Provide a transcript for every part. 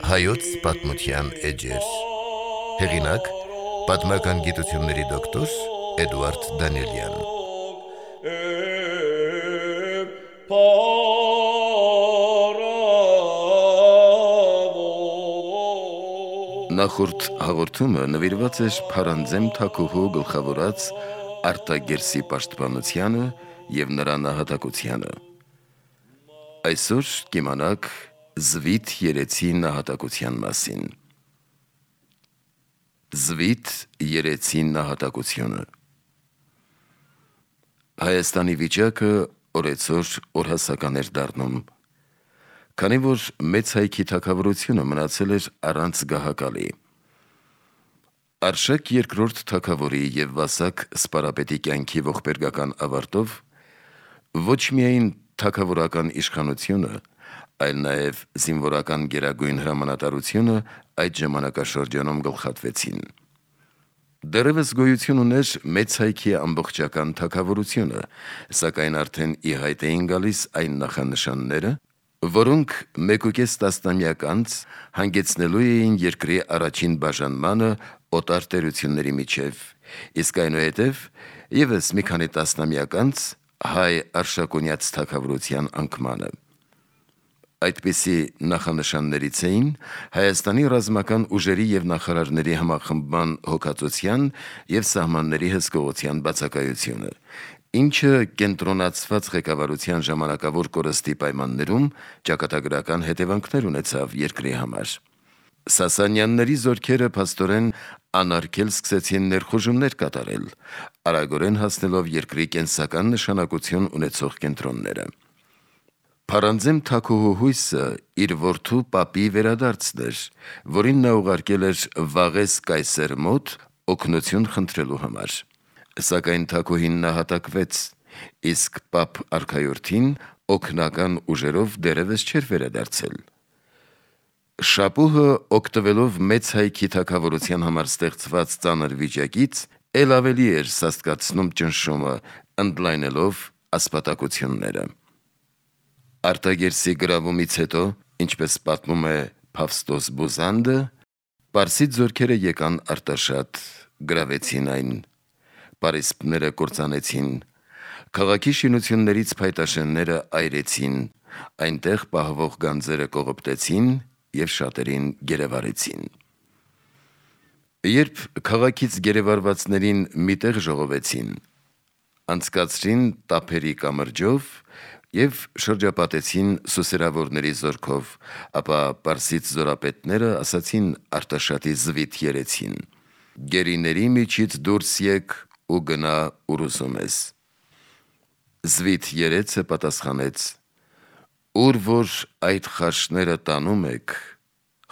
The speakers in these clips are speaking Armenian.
Հայոց պատմության էջեր։ Հեղինակ՝ պատմական գիտությունների դոկտոր Էդուարդ Դանիելյան։ Նախորդ հաղորդումը նվիրված էր Փարանձեմ Թագուհու գլխավորած Արտագերսի պաշտպանությանը և նրա նահատակությանը։ Այսօր կիմանաք Զվիթ երեցի նահատակության մասին։ Զվիթ երեցի նահատակությունը։ Հայաստանի վիճակը օրեցօր օրհասական էր դառնում, քանի որ մեծ հայքի թագավորությունը մնացել էր առանց գահակալի։ Արշակ երկրորդ թագավորի և Վասակ սպարապետի կյանքի ողբերգական ավարտով ոչ միայն թագավորական իշխանությունը, այլ նաև զինվորական գերագույն հրամանատարությունը այդ ժամանակաշրջանում գլխատվեցին։ Դեռևս գոյություն ուներ մեծ հայքի ամբողջական թագավորությունը, սակայն արդեն ի հայտ էին գալիս այն նախանշանները, որոնք 1.5 տասնամյակ անց հանգեցնելու էին երկրի առաջին բաժանմանը օտար տերությունների միջև, իսկ այնուհետև ևս մի քանի տասնամյակ անց հայ արշակունյաց թագավորության անկմանը։ Այդպիսի նախանշաններից էին Հայաստանի ռազմական ուժերի և նախարարների համախմբման հոգածության և սահմանների հսկողության բացակայությունը, ինչը կենտրոնացված ղեկավարության ժամանակավոր կորստի պայմաններում ճակատագրական հետևանքներ ունեցավ երկրի համար։ Սասանյանների զորքերը փաստորեն անարգել սկսեցին ներխուժումներ կատարել, արագորեն հասնելով երկրի կենսական նշանակություն ունեցող կենտրոնները։ Փարանձեմ Թագուհու հույսը իր որդու Պապի վերադարձն էր, որին նա ուղարկել էր Վաղես կայսեր մոտ օգնություն խնդրելու համար։ Սակայն Թագուհին նահատակվեց, իսկ Պապ արքայորդին օգնական ուժերով դեռևս չէր վերադարձել։ Շապուհը, օգտվելով մեծ հայքի թագավորության համար ստեղծված ծանր վիճակից, էլ ավելի էր սաստկացնում ճնշումը, ընդլայնելով ասպատակությունները։ Արտագերսի գրավումից հետո, ինչպես պատմում է Փավստոս Բուզանդը, պարսից զորքերը եկան Արտաշատ, գրավեցին այն, պարիսպները կործանեցին, քաղաքի շինություններից փայտաշենները այրեցին, այնտեղ պահվող գանձերը կողոպտեցին և շատերին գերեվարեցին։ Երբ քաղաքից գերեվարվածներին մի տեղ ժողովեցին, անցկացրին տափերի կամրջով և շրջապատեցին սուսերավորների զորքով, ապա պարսից զորապետները ասացին Արտաշատի Զվիթ երեցին. «Գերիների միջից դուրս եկ ու գնա ուր ուզում ես»։ Զվիթ երեցը պատասխանեց. «Ուր որ այդ խարշները տանում եք,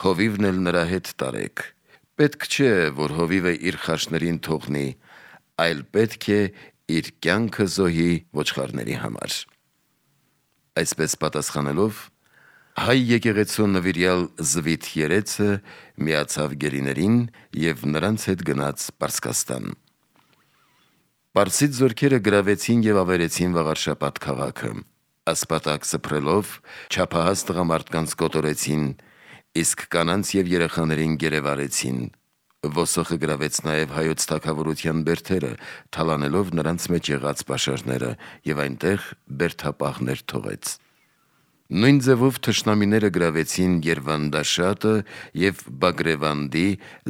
հովիվն էլ նրա հետ տարեք, պետք չէ, որ հովիվը իր խարշներին թողնի, այլ պետք է իր կյանքը զոհի ոչխարների համար»։ Այսպես պատասխանելով, հայ եկեղեցու նվիրյալ Զվիթ երեցը միացավ գերիներին և նրանց հետ գնաց Պարսկաստան։ Պարսից զորքերը գրավեցին և ավերեցին Վաղարշապատ քաղաքը, ասպատակ սփռելով չափահաս տղամարդկանց կոտորեցին, իսկ կանանց և երեխաներին գերեվարեցին։ Ոսոխը գրավեց նաև հայոց թագավորության բերդերը, թալանելով նրանց մեջ եղած պաշարները և այնտեղ բերդապահներ թողեց։ Նույն ձևով թշնամիները գրավեցին Երվանդաշատը և Բագրևանդի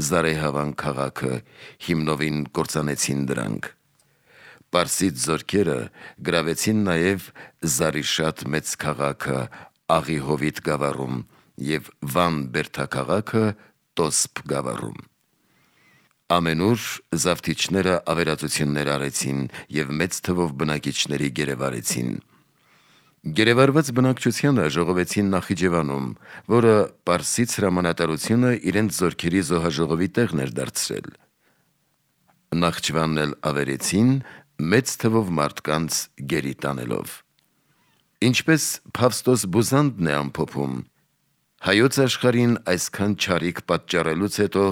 Զարեհավան քաղաքը, հիմնովին կործանեցին դրանք։ Պարսից զորքերը գրավեցին նաև Զարիշատ մեծ քաղաքը Աղիհովիտ գավառում և Վան բերդաքաղաքը Տոսպ գավառում։ Ամենուր զավթիչները ավերածություններ արեցին և մեծ թվով բնակիչների գերեվարեցին։ Գերեվարված բնակչությանը ժողովեցին Նախիջևանում, որը պարսից հրամանատարությունը իրենց զորքերի զոհաժողովի տեղն էր դարձրել։ Նախճիվանն էլ ավերեցին, մեծ թվով մարդկանց գերի տանելով։ Ինչպես Փավստոս Բուզանդն է ամփոփում, հայոց աշխարհին այսքան չարիք պատճառելուց հետո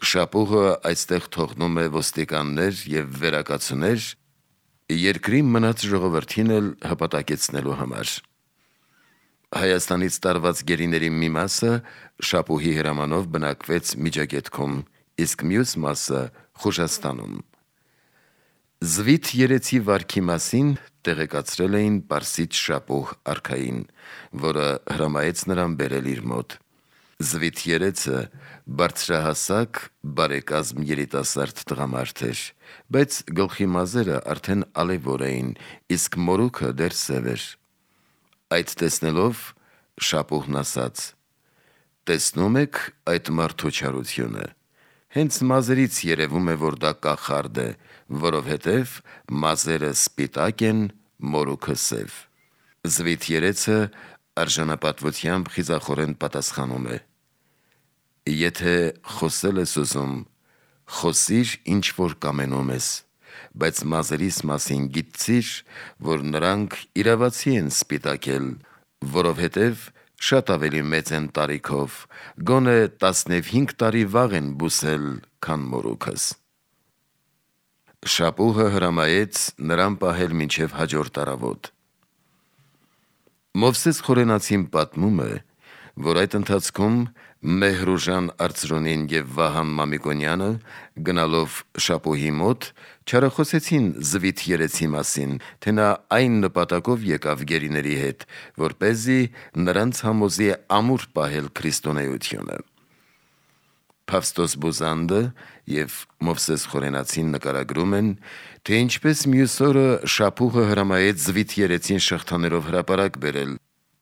Շապուհը այստեղ թողնում է ոստիկաններ և վերակացուներ, երկրի մնաց ժողովրդին էլ հպատակեցնելու համար։ Հայաստանից տարված գերիների մի մասը Շապուհի հրամանով բնակվեց Միջագետքում, իսկ մյուս մասը Խուժաստանում։ Զվիթ երեցի վարքի մասին տեղեկացրել էին Պարսից Շապուհ արքային, որը հրամայեց նրան բերել իր մոտ։ Զվիթ երեցը բարձրահասակ, բարեկազմ երիտասարդ տղամարդ էր, բայց գլխի մազերը արդեն ալևոր էին, իսկ մորուքը դեռ սև էր։ Այդ տեսնելով Շապուհն ասաց. «Տեսնում եք այդ մարդու չարությունը, հենց մազերից երևում է, որ դա կախարդ է, որովհետև մազերը սպիտակ են, մորուքը սև»։ Զվիթ երեցը արժանապատվությամբ խիզախորեն պատասխանում է. «Եթե խոսել ես ուզում, խոսիր ինչ որ կամենում ես, բայց մազերիս մասին գիտցիր, որ նրանք իրավացի են սպիտակել, որովհետև շատ ավելի մեծ են տարիքով, գոնե 15 տարի վաղ են բուսել, քան մորուքս»։ Շապուհը հրամայեց նրան պահել մինչև հաջորդ առավոտ։ Մովսես Խորենացին պատմում է, որ այդ ընթացքում Մեհրուժան Արծրունին և Վահան Մամիկոնյանը գնալով Շապուհի մոտ չարախոսեցին Զվիթ երեցի մասին, թե նա այն նպատակով եկավ գերիների հետ, որպեսզի նրանց համոզի ամուր պահել քրիստոնեությունը։ Փավստոս Բուզանդը և Մովսես Խորենացին նկարագրում են, թե ինչպես մյուս օրը Շապուհը հրամայեց Զվիթ երեցին շղթաներով հրապարակ բերել,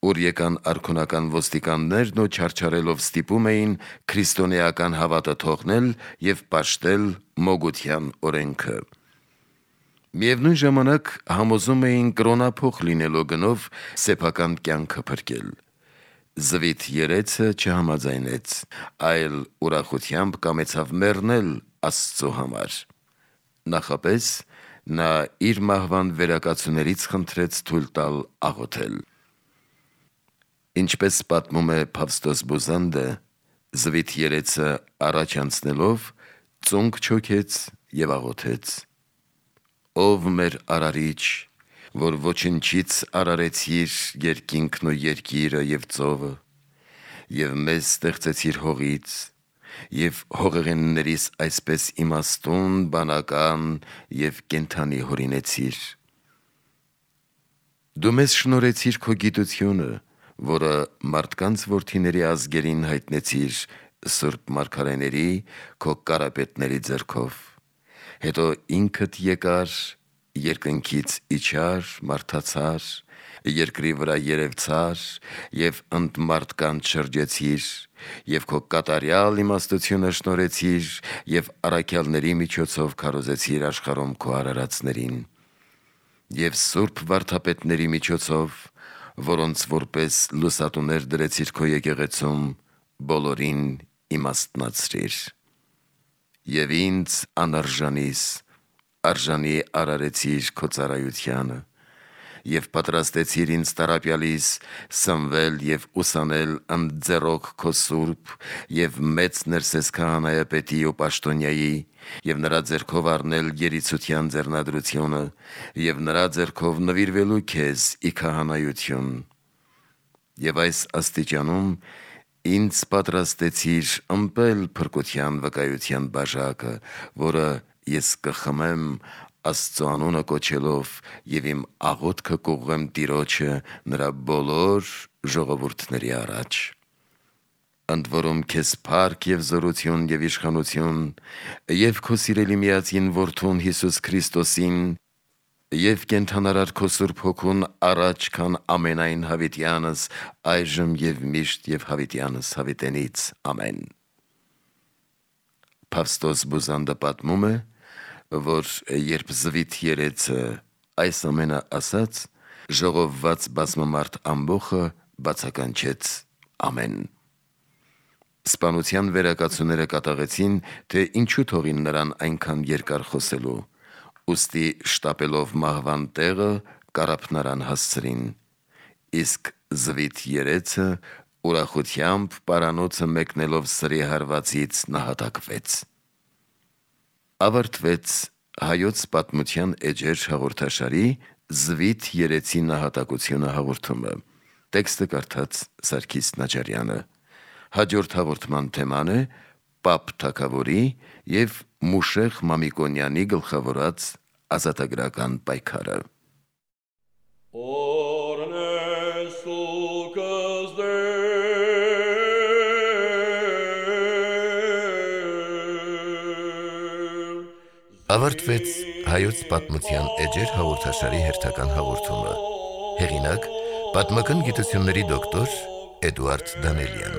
ուր եկան արքունական ոստիկաններն ու չարչարելով ստիպում էին քրիստոնեական հավատը թողնել և պաշտել մոգության օրենքը։ Միևնույն ժամանակ համոզում էին կրոնափոխ լինելու գնով սեփական կյանքը փրկել։ Զվիթ երեցը չհամաձայնեց, այլ ուրախությամբ կամեցավ մեռնել Աստծո համար։ Նախապես նա իր մահվան վերակացուներից խնդրեց թույլ տալ աղոթել։ Ինչպես պատմում է Փավստոս Բուզանդը, Զվիթ երեցը առաջ անցնելով ծունկ չոքեց և աղոթեց. «Ով մեր արարիչ, որ ոչնչից արարեցիր երկինքն ու երկիրը և ծովը, և մեզ ստեղծեցիր հողից, և հողեղեններիս այսպես իմաստուն, բանական և կենդանի հորինեցիր։ Դու մեզ շնորհեցիր քո գիտությունը, որը մարդկանց որդիների ազգերին հայտնեցիր սուրբ մարգարեների, քո կարապետների ձեռքով։ Հետո ինքդ եկար, երկնքից իջար, մարդացար, երկրի վրա երևցար և ընդ մարդկանց շրջեցիր, և քո կատարյալ իմաստությունը շնորհեցիր և առաքյալների միջոցով քարոզեցիր աշխարհում քո արարածներին, և սուրբ վարդապետների միջոցով, որոնց որպես լուսատուներ դրեցիր քո եկեղեցում, բոլորին իմաստնացրիր։ Եվ ինձ անարժանիս արժանի արարեցիր քո ծառայությանը, և պատրաստեցիր ինձ տառապյալիս սնվել և ուսանել ընդձեռոք քո սուրբ և մեծ ներսես քահանայապետի ու պաշտոնյայի և նրա ձեռքով առնել երիցության ձեռնադրությունը և նրա ձեռքով նվիրվելու քեզ ի քահանայություն։ Եվ այս աստիճանում ինձ պատրաստեցիր ըմպել փրկության վկայության բաժակը, որը ես կխմեմ Աստծո անունը կոչելով և իմ աղոթքը կուղղեմ Տիրոջը նրա բոլոր ժողովուրդների առաջ։ Ընդ որում քեզ փառք և զորություն և իշխանություն և քո սիրելի միածին Որդուն Հիսուս Քրիստոսին և կենդանարար քո Սուրբ Հոգուն առաջ, քան ամենայն հավիտյանս, այժմ և միշտ և հավիտյանս հավիտենից։ Ամեն»։ Փավստոս Բուզանդը պատմում է, որ երբ Զվիթ երեցը այս ամենը ասաց, ժողովված բազմամարդ ամբոխը բացականչեց ամեն։ Սպանության վերակացուները կատաղեցին, թե ինչու թողին նրան այնքան երկար խոսելու, ուստի շտապելով մահվան տեղը կարապ նրան հասցրին, իսկ Զվիթ երեցը ուրախությամբ պարանոցը մեկնելով սրի հարվածից նահատակվեց։ Ավարտվեց «Հայոց պատմության էջեր» հաղորդաշարի «Զվիթ երեցի նահատակությունը» հաղորդումը։ Տեքստը կարդաց Սարգիս Նաջարյանը։ Հաջորդ հաղորդման թեման է Պապ թագավորի և Մուշեղ Մամիկոնյանի գլխավորած ազատագրական պայքարը։ Ավարտվեց հայոց պատմության էջեր հաղորդաշարի հերթական հաղորդումը։ Հեղինակ՝ պատմական գիտությունների դոկտոր Էդուարդ Դանելյան։